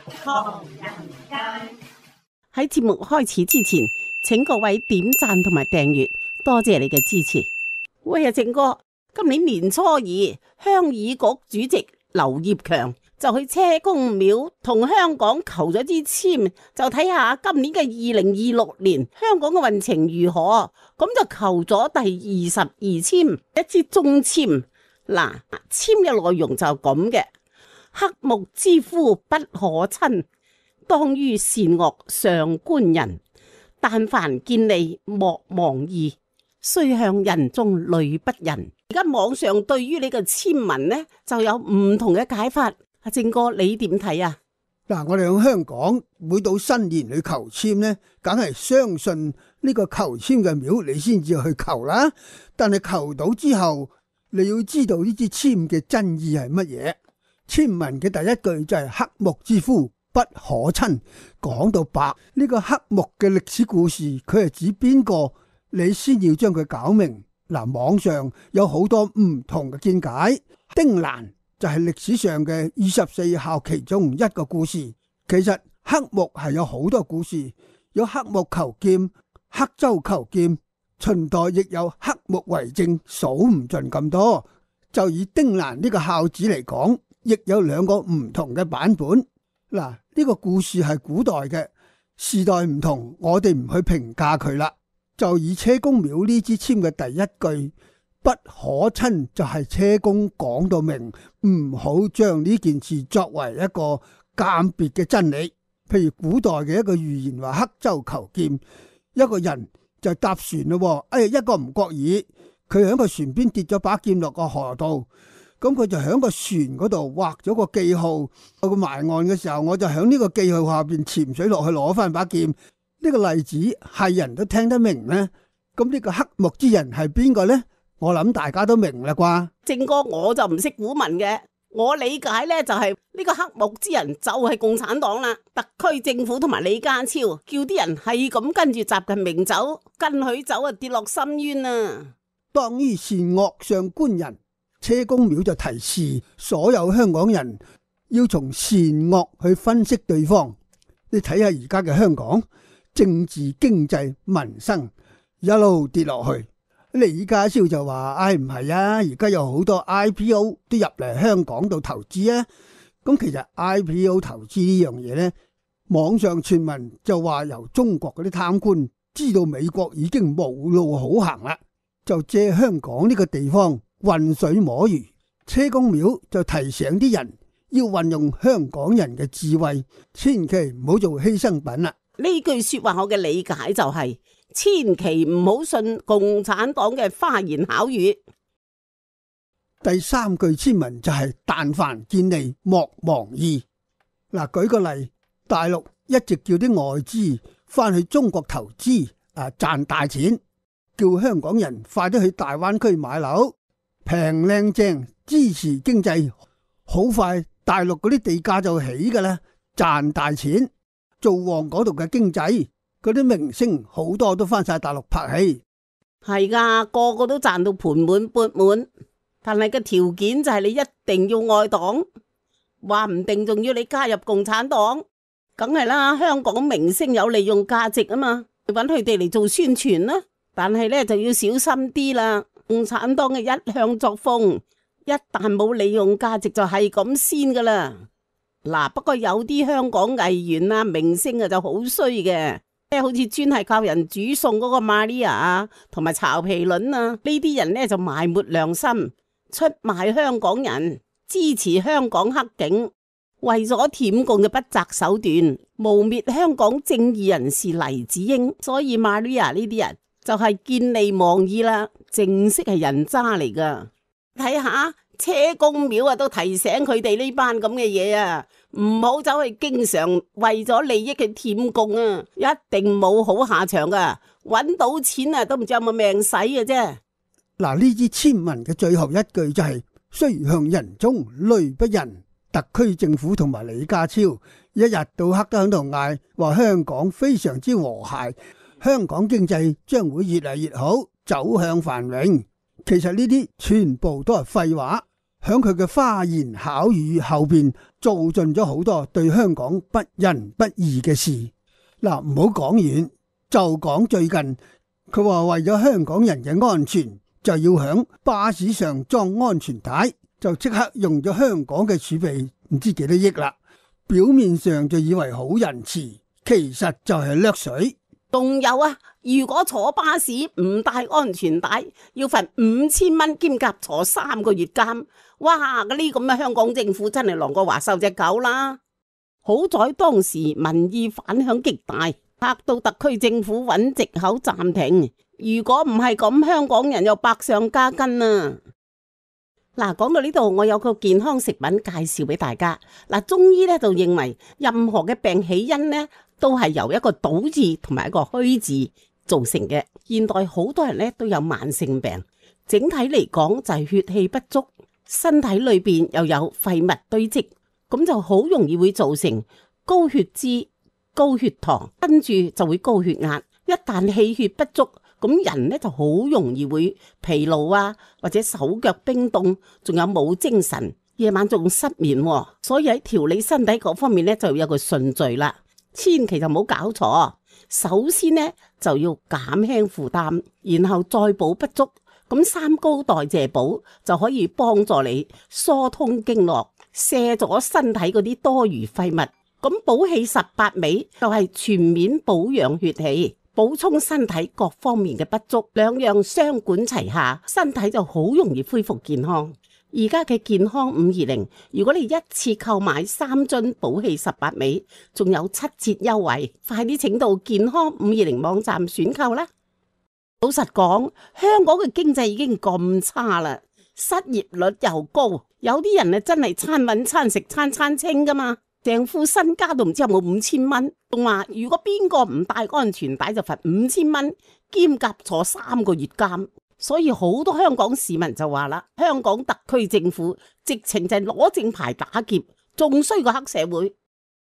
唐人街。喺節目開始之前，請各位點讚同埋訂閱，多謝你嘅支持。喂啊，正哥，今年年初二，鄉議局主席劉業強就去車公廟同香港求咗支簽，就睇下今年嘅2026年香港嘅運程如何。咁就求咗第22簽，一支中簽。嗱，簽嘅內容就咁嘅：黑木之夫不可親，當於善惡上觀人。但凡見利莫忘義，須向人中慮不仁。而家網上對於你嘅簽文呢，就有唔同嘅解法。阿正哥，你點睇啊？嗱，我哋喺香港每到新年去求簽呢，梗係相信呢個求簽嘅廟，你先至去求啦。但係求到之後，你要知道呢支簽嘅真意係乜嘢？簽文嘅第一句就係黑木之夫不可親，講到白呢個黑木嘅歷史故事，佢係指邊個？你先要將佢搞明。嗱，網上有好多唔同嘅見解。丁蘭就係歷史上嘅24孝其中一個故事。其實黑木係有好多故事，有黑木求劍、黑舟求劍，秦代亦有黑木為政，數唔盡咁多。就以丁蘭呢個孝子嚟講，亦有兩個唔同嘅版本。嗱，呢個故事係古代嘅，時代唔同，我哋唔去評價佢啦。就以車公廟呢支簽嘅第一句不可親，就係車公講到明，唔好將呢件事作為一個鑑別嘅真理。譬如古代嘅一個寓言話黑舟求劍，一個人就搭船咯，一個唔覺意，佢喺個船邊跌咗把劍落個河度，咁佢就喺個船嗰度畫咗個記號，到佢埋岸嘅時候，我就喺呢個記號下邊潛水落去攞翻把劍。呢個例子係人都聽得明呢？咁呢個黑木之人係邊個呢？我諗大家都明啦啩。正哥，我就唔識古文嘅，我理解呢就係呢個黑木之人就係共產黨啦。特區政府同埋李家超叫啲人係咁跟住習近平走，跟佢走啊，跌落深淵啊！當於善惡上觀人，車公廟就提示所有香港人要從善惡去分析對方。你睇下而家嘅香港，政治、經濟、民生一路跌落去。李家超就話：唔係啊，而家有好多 IPO 都入嚟香港度投資啊。咁其實 IPO 投資呢樣嘢呢，網上傳聞就話由中國嗰啲貪官知道美國已經冇路好行啦，就借香港呢個地方渾水摸魚。車公廟就提醒啲人要運用香港人嘅智慧，千祈唔好做犧牲品啦。呢句說話我嘅理解就係，千祈唔好信共產黨嘅花言巧語。第三句簽文就係但凡見利莫忘義。嗱，舉個例，大陸一直叫啲外資翻去中國投資賺大錢，叫香港人快啲去大灣區買樓，平靚正，支持經濟，好快大陸嗰啲地價就起噶啦，賺大錢。做旺嗰度嘅經濟，嗰啲明星好多都翻晒大陸拍戲，係噶，個個都賺到盆滿缽滿。但係個條件就係你一定要愛黨，話唔定仲要你加入共產黨，梗係啦。香港明星有利用價值啊嘛，搵佢哋嚟做宣傳啦。但係呢，就要小心啲啦，共產黨嘅一向作風，一旦冇利用價值就係咁先噶啦。嗱，不過有啲香港藝員啊、明星啊就好衰嘅，好似專係靠人煮餸嗰個 Maria 啊，同埋曹皮倫啊，呢啲人呢就埋沒良心，出賣香港人，支持香港黑警，為咗舔共嘅不擇手段，誣衊香港正義人士黎智英。所以 Maria 呢啲人就係見利忘義啦，正式係人渣嚟噶。睇下車公廟啊，都提醒佢哋呢班咁嘅嘢啊，唔好走去經常為咗利益嘅舔共啊，一定冇好下場噶，搵到錢啊都唔知有冇命使嘅啫。嗱，呢支簽文嘅最後一句就係須向人中慮不仁。特區政府同埋李家超一日到黑都喺度嗌話香港非常之和諧，香港經濟將會越嚟越好，走向繁榮。其實呢啲全部都係廢話。響佢嘅花言巧語後邊做盡咗好多對香港不仁不義嘅事。嗱，唔好講遠，就講最近，佢話為咗香港人嘅安全，就要響巴士上裝安全帶，就即刻用咗香港嘅儲備唔知幾多億啦。表面上就以為好仁慈，其實就係掠水。仲有啊，如果坐巴士唔帶安全帶，要罰5000蚊兼夾坐3個月監。哇！嗰啲咁嘅香港政府真係狼過華收隻狗啦。好在當時民意反響極大，嚇到特區政府揾藉口暫停。如果唔係咁，香港人又百上加斤啊！嗱，講到呢度，我有個健康食品介紹俾大家。嗱，中醫咧就認為任何嘅病起因呢，都係由一個倒字同埋一個虛字造成嘅。現代好多人咧都有慢性病，整體嚟講就係血氣不足，身體裏邊又有廢物堆積，咁就好容易會造成高血脂、高血糖，跟住就會高血壓。一旦氣血不足，咁人咧就好容易會疲勞啊，或者手腳冰凍，仲有冇精神，夜晚仲失眠。所以喺調理身體嗰方面咧就有個順序啦，千祈就唔好搞錯。首先呢，就要減輕負擔，然後再補不足，咁三高代謝補就可以幫助你疏通經絡，卸咗身體嗰啲多餘廢物。咁補氣18味就係全面保養血氣，補充身體各方面嘅不足，兩樣雙管齊下，身體就好容易恢復健康。而家嘅健康520，如果你一次購買3樽補氣18味，仲有7折優惠，快啲請到健康520網站選購啦！老實講，香港嘅經濟已經咁差啦，失業率又高，有啲人啊真係餐搵餐食餐餐清噶嘛，成副身家都唔知有冇5000蚊，仲話如果邊個唔帶安全帶就罰5000蚊，兼夾坐3個月監。所以好多香港市民就話啦，香港特區政府直情就係攞正牌打劫，仲衰過黑社會。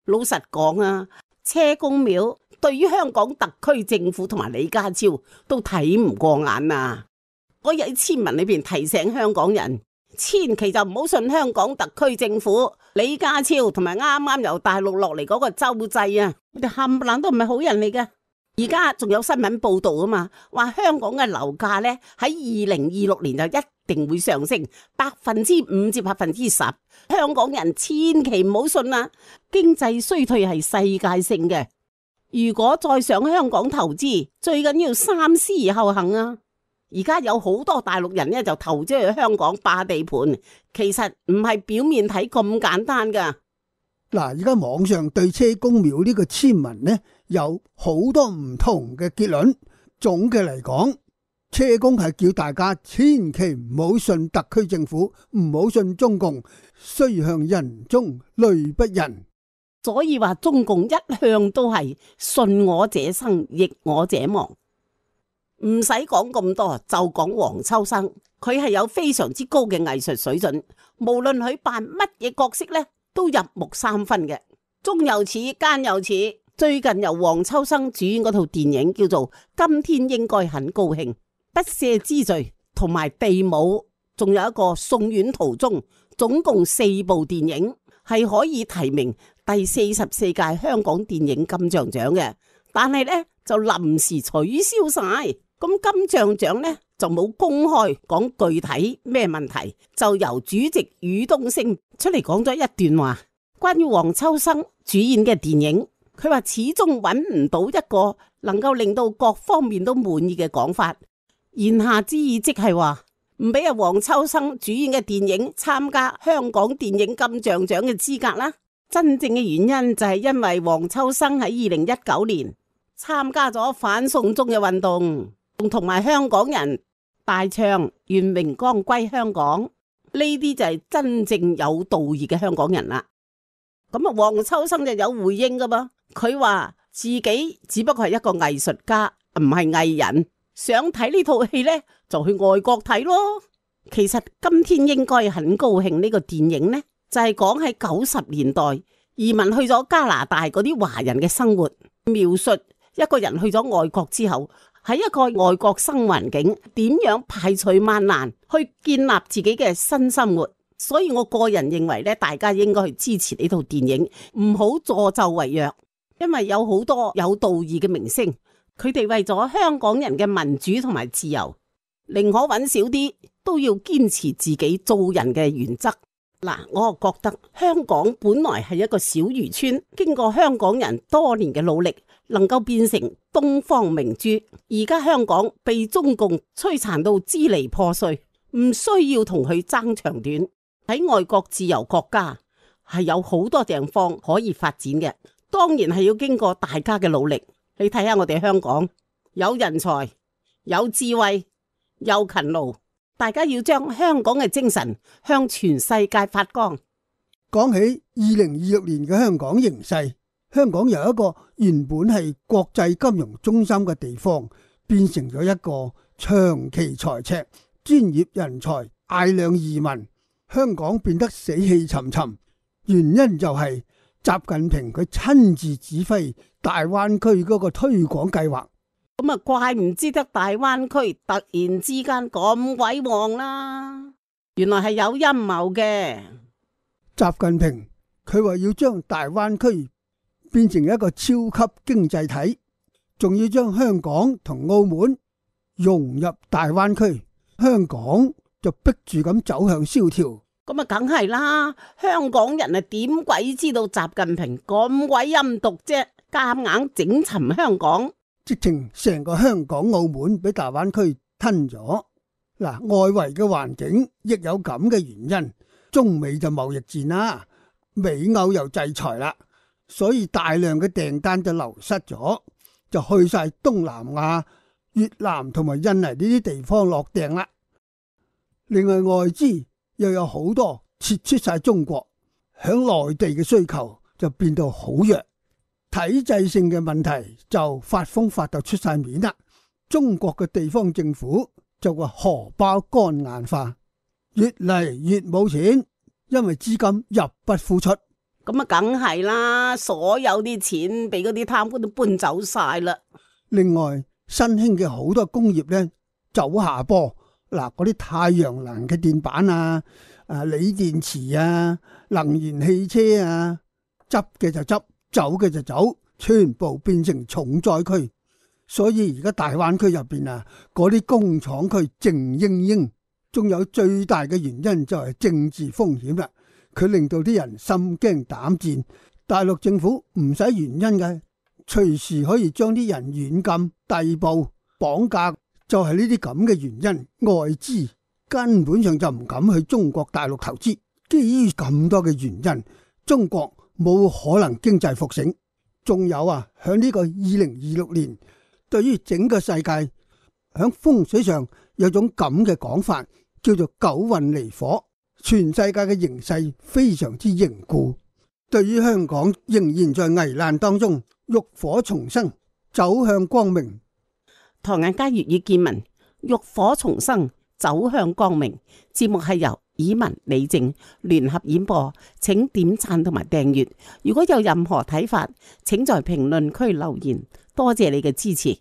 老實講啊，車公廟對於香港特區政府同埋李家超都睇唔過眼啊！我喺簽文裏邊提醒香港人，千祈就唔好信香港特區政府、李家超同埋啱啱由大陸落嚟嗰個周濟啊！佢哋冚唪唥都唔係好人嚟嘅。而家仲有新聞報道啊嘛，話香港嘅樓價呢喺2026年就一定會上升5%至10%。香港人千祈唔好信啊！經濟衰退係世界性嘅，如果再上香港投資，最緊要三思而後行啊！而家有好多大陸人呢就投資去香港霸地盤，其實唔係表面睇咁簡單噶。嗱，而家網上對車公廟呢個簽文呢，有好多唔同嘅結論。總嘅嚟講，車公係叫大家千祈唔好信特區政府，唔好信中共，須向人中慮不仁。所以話中共一向都係信我者生，逆我者亡。唔使講咁多，就講黃秋生，佢係有非常之高嘅藝術水準，無論佢扮乜嘢角色呢，都入木三分嘅，中又似，奸又似。最近由黃秋生主演嗰套電影叫做《今天應該很高興》，不赦之罪同埋地母，仲有一個送院途中，總共4部電影係可以提名第44屆香港電影金像獎嘅，但係呢就臨時取消晒。咁金像獎呢就冇公開講具體咩問題，就由主席宇東升出嚟講咗一段話，關於黃秋生主演嘅電影，佢話始終揾唔到一個能夠令到各方面都滿意嘅講法，言下之意即係話唔俾阿黃秋生主演嘅電影參加香港電影金像獎嘅資格啦。真正嘅原因就係因為黃秋生喺2019年參加咗反送中嘅運動，同埋香港人大唱願榮光歸香港，呢啲就係真正有道義嘅香港人啦。咁啊，黃秋生就有回應噶噃，佢話自己只不過係一個藝術家，唔係藝人，想睇呢套戲呢，就去外國睇咯。其實今天應該很高興呢個電影呢，就係講喺90年代移民去咗加拿大嗰啲華人嘅生活，描述一個人去咗外國之後，喺一個外國生環境點樣排除萬難去建立自己嘅新生活，所以我個人認為咧，大家應該去支持呢套電影，唔好助紂為虐，因為有好多有道義嘅明星，佢哋為咗香港人嘅民主同埋自由，寧可揾少啲，都要堅持自己做人嘅原則。嗱，我覺得香港本來係一個小漁村，經過香港人多年嘅努力，能夠變成東方明珠。而家香港被中共摧殘到支離破碎，唔需要同佢爭長短。喺外國自由國家係有好多地方可以發展嘅，當然係要經過大家嘅努力。你睇下我哋香港有人才、有智慧、有勤勞。大家要將香港嘅精神向全世界發光。講起2026年嘅香港形勢，香港由一個原本係國際金融中心嘅地方，變成咗一個長期財赤、專業人才大量移民，香港變得死氣沉沉。原因就係習近平佢親自指揮大灣區嗰個推廣計劃。咁啊，怪唔知得大灣區突然之間咁鬼旺啦！原來係有陰謀嘅。習近平佢話要將大灣區變成一個超級經濟體，仲要將香港同澳門融入大灣區，香港就逼住咁走向蕭條。咁啊，梗係啦！香港人啊，點鬼知道習近平咁鬼陰毒啫？夾硬整沉香港。直情成個香港澳門俾大灣區吞咗。嗱，外圍嘅環境亦有咁嘅原因，中美就貿易戰啦，美歐又制裁啦，所以大量嘅訂單就流失咗，就去晒東南亞、越南同埋印尼呢啲地方落訂啦。另外外資又有好多撤出晒中國，響內地嘅需求就變到好弱。體制性嘅問題就發瘋發到出晒面啦，中國嘅地方政府就話荷包乾硬化，越嚟越冇錢，因為資金入不敷出。咁啊，梗係啦，所有啲錢俾嗰啲貪官都搬走晒啦。另外，新興嘅好多工業呢走下坡，嗱，嗰啲太陽能嘅電板啊、鋰電池啊、能源汽車啊，執嘅就執，走嘅就走，全部變成重災區。所以而家大灣區入邊啊，嗰啲工廠區靜英英。仲有最大嘅原因就係政治風險啦，佢令到啲人心驚膽戰。大陸政府唔使原因嘅，隨時可以將啲人軟禁、逮捕、綁架，就係呢啲咁嘅原因。外資根本上就唔敢去中國大陸投資。基於咁多嘅原因，中國冇可能經濟復醒。仲有啊，響呢個2026年，對於整個世界響風水上有種咁嘅講法，叫做九運離火，全世界嘅形勢非常之凝固。對於香港仍然在危難當中，浴火重生，走向光明。唐人街粵語見聞，浴火重生，走向光明。節目係由以文李靜聯合演播，請點讚同埋訂閱。如果有任何睇法，請在評論區留言。多謝你嘅支持。